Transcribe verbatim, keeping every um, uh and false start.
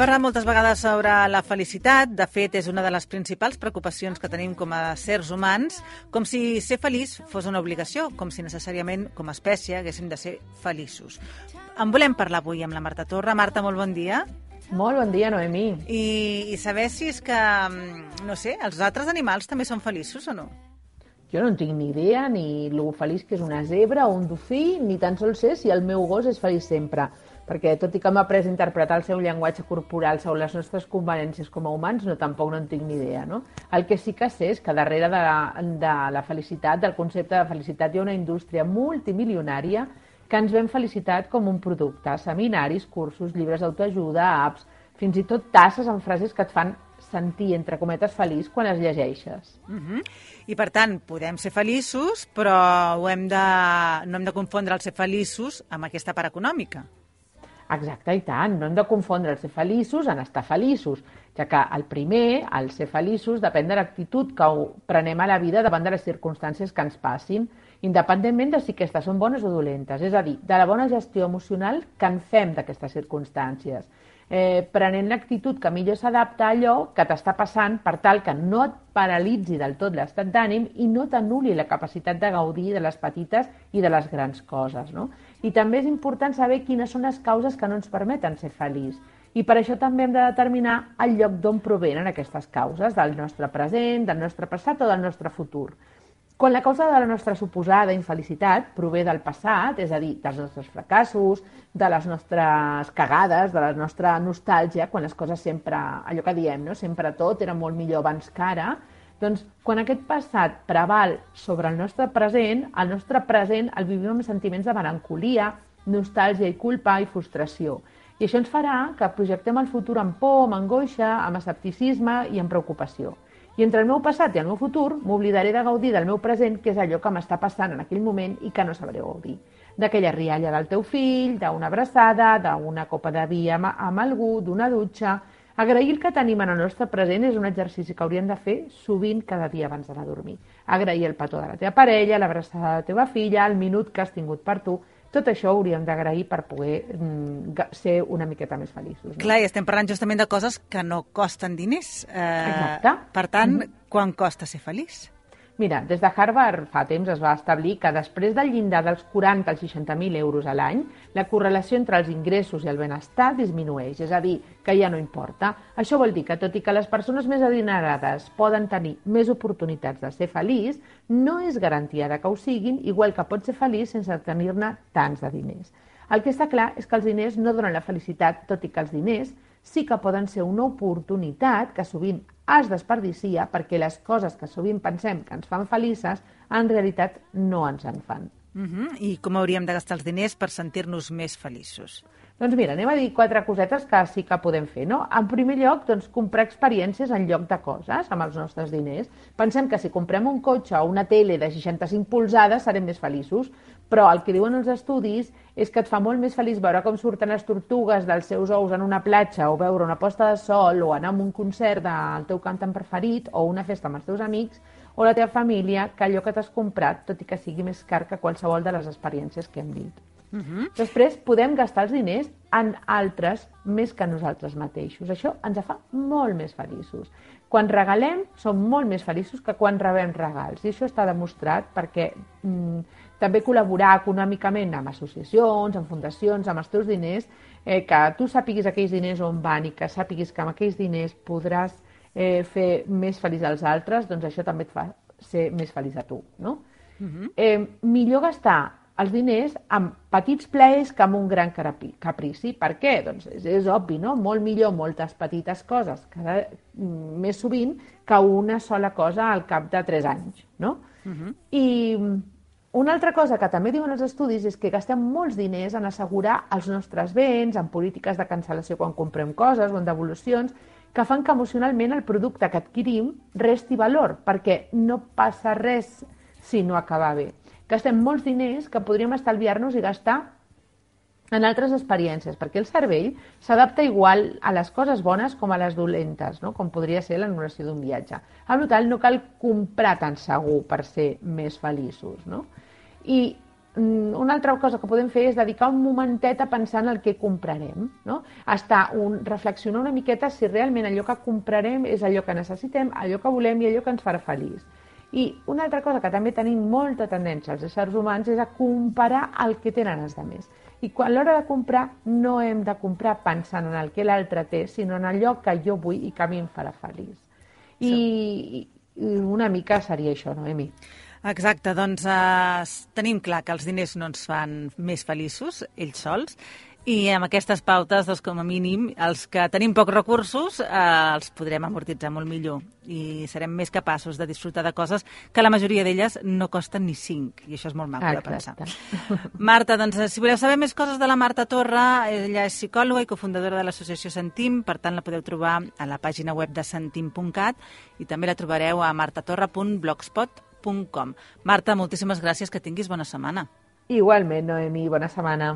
parlat moltes vegades sobre la felicitat. De fet, és una de les principals preocupacions que tenim com a sers humans, com si ser feliç fos una obligació, com si necessàriament, com a espècie, haguéssim de ser feliços. En volem parlar avui amb la Marta Torre. Marta, molt bon dia. Molt bon dia, Noemí. I, i saber si és que, no sé, els altres animals també són feliços o no? Jo no en tinc ni idea, ni lo feliç que és una zebra o un dofí, ni tan sols sé si el meu gos és feliç sempre. Perquè tot i que m'ha après a interpretar el seu llenguatge corporal sobre les nostres conveniències com a humans, no, tampoc no en tinc ni idea, no? El que sí que sé és que darrere de la, de la felicitat, del concepte de felicitat, hi ha una indústria multimilionària que ens ven felicitat com un producte. Seminaris, cursos, llibres d'autoajuda, apps, fins i tot tasses amb frases que et fan sentir, entre cometes, feliç quan les llegeixes. Uh-huh. I, per tant, podem ser feliços, però ho hem de, no hem de confondre el ser feliços amb aquesta part econòmica. Exacte, i tant. No hem de confondre el ser feliços en estar feliços, ja que el primer, el ser feliços, depèn de l'actitud que prenem a la vida davant de les circumstàncies que ens passin, independentment de si aquestes són bones o dolentes, és a dir, de la bona gestió emocional que en fem d'aquestes circumstàncies, eh, prenent l'actitud que millor s'adapta a allò que t'està passant per tal que no et paralitzi del tot l'estat d'ànim i no t'anul·li la capacitat de gaudir de les petites i de les grans coses, no? I també és important saber quines són les causes que no ens permeten ser feliços. I per això també hem de determinar el lloc d'on provenen aquestes causes, del nostre present, del nostre passat o del nostre futur. Quan la causa de la nostra suposada infelicitat prové del passat, és a dir, dels nostres fracassos, de les nostres cagades, de la nostra nostàlgia, quan les coses sempre, allò que diem, no? Sempre tot era molt millor abans que ara, doncs quan aquest passat preval sobre el nostre present, el nostre present el vivim amb sentiments de melancolia, nostàlgia i culpa i frustració. I això ens farà que projectem el futur amb por, amb angoixa, amb escepticisme i amb preocupació. I entre el meu passat i el meu futur m'oblidaré de gaudir del meu present, que és allò que m'està passant en aquell moment i que no sabré gaudir. D'aquella rialla del teu fill, d'una abraçada, d'una copa de vi amb, amb algú, d'una dutxa. Agrair el que tenim en el nostre present és un exercici que hauríem de fer sovint cada dia abans d'anar a dormir. Agrair el petó de la teva parella, l'abraçada de la teva filla, el minut que has tingut per tu. Tot això hauríem d'agrair per poder mm, ser una miqueta més feliços. No? Clar, i estem parlant justament de coses que no costen diners. Eh, Exacte. Per tant, Mm-hmm. quan costa ser feliç? Mira, des de Harvard fa temps es va establir que després del llindar dels quaranta als seixanta mil euros a l'any, la correlació entre els ingressos i el benestar disminueix, és a dir, que ja no importa. Això vol dir que, tot i que les persones més adinerades poden tenir més oportunitats de ser feliç, no és garantia de que ho siguin, igual que pot ser feliç sense tenir-ne tants de diners. El que està clar és que els diners no donen la felicitat, tot i que els diners sí que poden ser una oportunitat que sovint es desperdicia perquè les coses que sovint pensem que ens fan felices, en realitat no ens en fan. Uh-huh. I com hauríem de gastar els diners per sentir-nos més feliços? Doncs mira, anem a dir quatre cosetes que sí que podem fer, no? En primer lloc, doncs, comprar experiències en lloc de coses amb els nostres diners. Pensem que si comprem un cotxe o una tele de seixanta-cinc polzades serem més feliços, però el que diuen els estudis és que et fa molt més feliç veure com surten les tortugues dels seus ous en una platja o veure una posta de sol o anar a un concert del teu cantant preferit o una festa amb els teus amics o la teva família que allò que t'has comprat, tot i que sigui més car que qualsevol de les experiències que hem dit. Uh-huh. Després podem gastar els diners en altres més que nosaltres mateixos. Això ens fa molt més feliços. Quan regalem som molt més feliços que quan rebem regals i això està demostrat perquè mm, també col·laborar econòmicament amb associacions, amb fundacions, amb els teus diners, eh, que tu sàpiguis aquells diners on van i que sàpiguis que amb aquells diners podràs eh, fer més feliç als altres, doncs això també et fa ser més feliç a tu, no? Uh-huh. eh, millor gastar els diners amb petits plaers que amb un gran caprici. Per què? Doncs és, és obvi, no? Molt millor moltes petites coses cada, més sovint que una sola cosa al cap de tres anys, no? Uh-huh. I una altra cosa que també diuen els estudis és que gastem molts diners en assegurar els nostres béns, en polítiques de cancel·lació quan comprem coses o en devolucions, que fan que emocionalment el producte que adquirim resti valor, perquè no passa res si no acaba bé. Gastem molts diners que podríem estalviar-nos i gastar en altres experiències, perquè el cervell s'adapta igual a les coses bones com a les dolentes, no? Com podria ser l'anul·lació d'un viatge. Per tant, no cal comprar tan segur per ser més feliços, no? I una altra cosa que podem fer és dedicar un momentet a pensar en el que comprarem, no? Estar un, reflexionar una miqueta si realment allò que comprarem és allò que necessitem, allò que volem i allò que ens farà feliç. I una altra cosa que també tenim molta tendència als éssers humans és a comparar el que tenen els altres. I quan a l'hora de comprar no hem de comprar pensant en el que l'altre té, sinó en allò que jo vull i que a mi em farà feliç. I, i una mica seria això, Noemi? Exacte, doncs eh, tenim clar que els diners no ens fan més feliços, ells sols, i amb aquestes pautes, doncs, com a mínim, els que tenim pocs recursos eh, els podrem amortitzar molt millor i serem més capaços de disfrutar de coses que la majoria d'elles no costen ni cinc, i això és molt maco de pensar. Marta, doncs, si voleu saber més coses de la Marta Torra, ella és psicòloga i cofundadora de l'associació Sentim, per tant la podeu trobar a la pàgina web de sentim punt cat i també la trobareu a martatorra punt blogspot punt com. Marta, moltíssimes gràcies, que tinguis bona setmana. Igualment, Noemi, bona setmana.